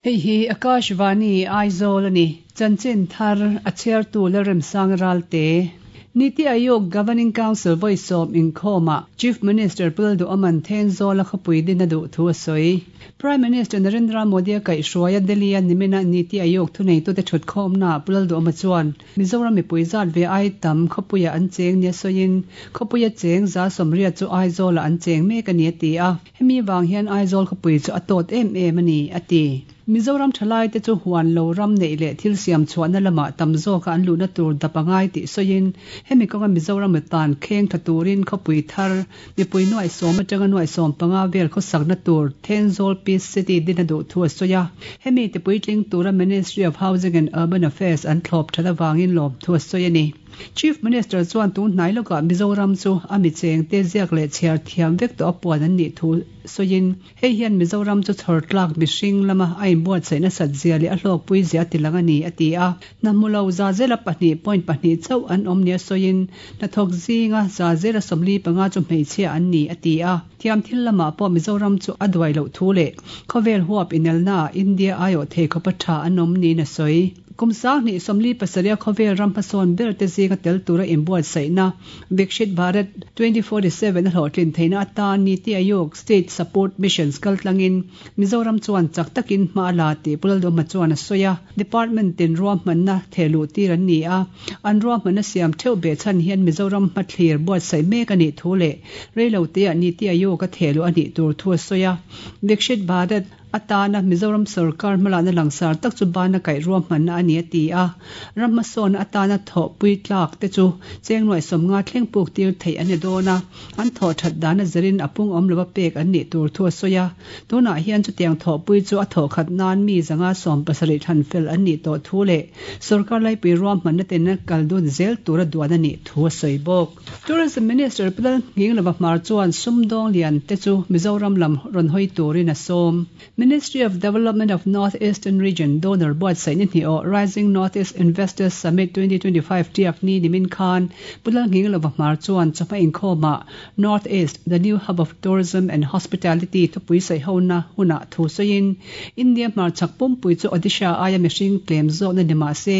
Hei hi Akashvani, Aizawl a ni. Chanchin thar a chhiartu Lalremsang Ralte. Niti Aayog Governing Council vawisawm inkhawmah Chief Minister Pu Lalduhawman Thenzawl a khawpui din a duh thu a sawi. Prime Minister Narendra Modi a kaihhruai a Delhi-a nimina Niti Aayog thuneitute thutkhawmnaah Pu Lalduhawma chuan Mizoram mipui zat ve ai tam khawpuiah an cheng nia sawiin khawpuia cheng 180 chu Aizawlah an cheng mek a ni a ti a. Hemi vang hian Aizawl khawpui chu a tawt em em a ni, a ti. Mizoram thalaite chu huan lo ram neih leh thil siam chhuahna lamah tam zawka an luhna tur dap a ngai tih sawiin, hemi kawnga Mizoram tan kheng tha turin khawpui thar, mipui nuaihsawm atanga nuaihsawm panga vel khawsakna tur Thenzawl Peace City din a duh thu a sawi a. Hemi tipuitling tura Ministry of Housing and Urban Affairs an thlawp that avangin lawmthu a sawi a ni. Chief Minister chuan tun hnai lawkah Mizoram chu a mi chengte ziak leh chhiar thiam vek tawh a puan an nih thu sawiin, hei hian Mizoram chu chhawr tlak mihring lama a inbuatsaih nasat zia leh a hlawkpui zia a tilang a ni, a ti a. Hna hmu lo zazela pahnih point pahnih chauh an awm nia sawiin, hnathawk zinga zazela 45 chu hmeichhia an ni, a ti a. Thiam thil lamah pawh Mizoram chu a duai loh thu leh khawvel huap inelnaah India aiawh thei khawpa tha an awm niin a sawi. Kum 2047 a khawvel ram hmasawn ber te zinga tel tura inbuatsaihna Vikshit Bharat 2047 a hlawhtlin theihna atan Niti Aayog State Support Missions kaltlangin Mizoram chuan chak takin hma a la tih Pu Lalduhma chuan a sawi a. Department tin ruahmanna thehluh tir an ni a, an ruahmanna siam theuh behchhan hian Mizoram hmathlir buatsaih mek a nih thu leh reiloteah Niti Aayog a thehluh a nih tur thu a sawi a. Vikshit Bharat Atana Mizoram sorkar hmalakna langsar tak chu bana kaih ruahmanna a ni a ti a. Ram hmasawnna atana thawhpui tlak te chu cheng nuaih 50 thleng puk tir theih an ni dawn a, an thawh that dana zirin a pung awm lova pek an nih tur thu a sawi a. Tunah hian chutiang thawhpui chu a thawh khat nan mi 170 thlan fel an nih tawh thu leh sorkar laipui ruahmanna ten a kal dun zel tura duan a nih thu a sawi bawk. Tourism Minister Pu Lalnghinglova Hmar chuan sumdawng lian te chu Mizoram lam rawn hawi turin a sawm. Ministry of Development of North Eastern Region donor buatsaih ni hnih awh Rising North East Investors Summit 2025 tiak ni nimin khan Pu Lalnghinglova Hmar chuan chawhma inkhawmah North East, the new hub of tourism and hospitality thupui saihona hunah thu sawiin India hmarchhak pumpui chu Odisha aia mihring tlem zawkna ni mah se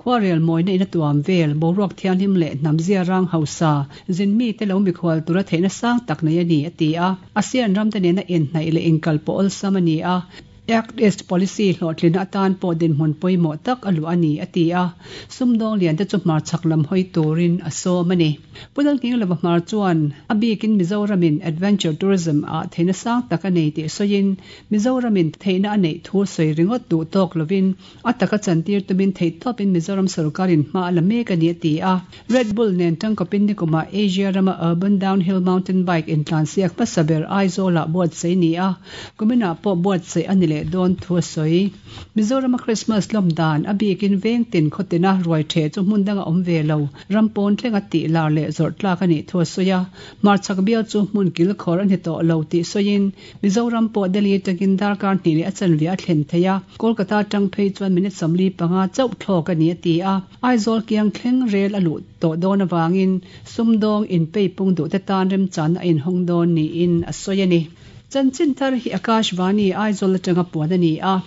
Khuarel mawina in a tuam vel, boruak thianghlim leh hnam zia rang hausa, zin mite lo mikhual tura theihna sang tak nei a ni, a ti a. ASEAN ramte nena inhnaih leh inkalpawh awlsam a ni a, Act East Policy hlawhtlinna atan pawh dinhmun pawimawh tak a luah a ni, a ti a. Sumdawng liante chu hmarchhak lam hawi turin a sawm a ni. Pu Lalnghinglova Hmar chuan a bikin Mizoramin Adventure Tourism ah theihna sang tak a nei tih sawiin, Mizoramin theihna a neih thu sawi ringawt duh tawk lovin A taka chantir tumin theihtawpin Mizoram sorkarin hma a la mek a ni a ti a. Red Bull nen tangkawpin nikumah Asia rama Urban Downhill Mountain Bike intlansiak hmasa ber Aizawlah buatsaih ni a, kuminah pawh buatsaih a ni leh dawn thu a sawi. Mizorama Krismas lawm dan, a bikin veng tin khaw tina ruai ṭheh chu hmun danga awm ve lo, ram pawn thlenga tih lar leh zawrh tlak a nih thu a sawi a. Hmarchhak bial chu hmun kilkhawr a ni tawh lo tih sawiin, Mizoram pawh Delhi atangin darkar hnih leh a chanve a thlen thei a, Kolkata atang phei chuan minute 45 chauh thlawk a ni a ti a. Aizawl kiang thleng rel a luh tawh dawn avangin sumdawng inpei pung duhte tan remchanna a inhawng dawn niin a sawi a ni. Chanchin thar hi Akashvani Aizawl atanga puan a ni a,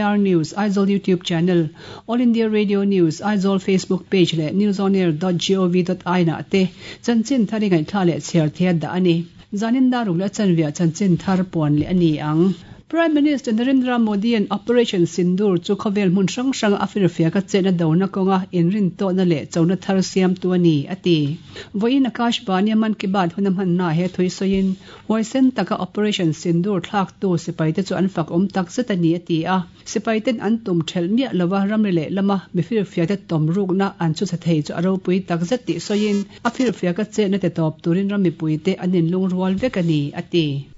AR News Aizawl YouTube channel, All India Radio News Aizawl Facebook page leh newsonair dot gov dot in ah te chanchin thar i ngaihthla leh chhiar thei a dah a ni. Zanin daruk leh a chanviah chanchin thar puan leh a ni ang. Prime Minister Narendra Modi-a'n Operation Sindoor chu khawvel hmun hrang hranga a firfiak a chetna dona kawnga inrintawhna leh chona thar siamtu a ni, a ti. Vawiin Akashvani-a Mann Ki Baat hun a hmannaah he thui sawiin, huaisen taka Operation Sindoor thlaktu sipaite chu an fak awm tak zet a ni, a ti a. Sipai ten an tum thelh miah lova ramri leh lama mi firfiakte tawm rukna an chhuchhe thei chu a ropui tak zet tih sawiin a firfiaka chetna ti tawp turin ram mipuite an inlungrual vek a ni, a ti.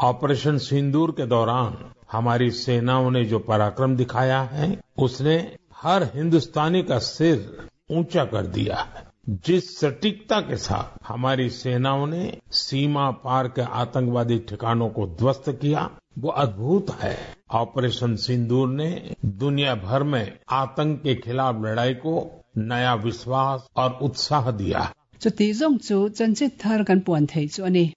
Operation Sindoor ke दौरान हमारी सेनाओं ने जो पराक्रम दिखाया है उसने हर हिंदुस्तानी का सिर ऊंचा कर दिया है। जिस सटीकता के साथ हमारी सेनाओं ने सीमा पार के आतंकवादी ठिकानों को ध्वस्त किया वो अद्भुत है। ऑपरेशन सिंदूर ने दुनिया भर में आतंक के खिलाफ लड़ाई को नया विश्वास और उत्साह दिया है। Chuti zawng chu chanchin thar kan puan thei chu a ni.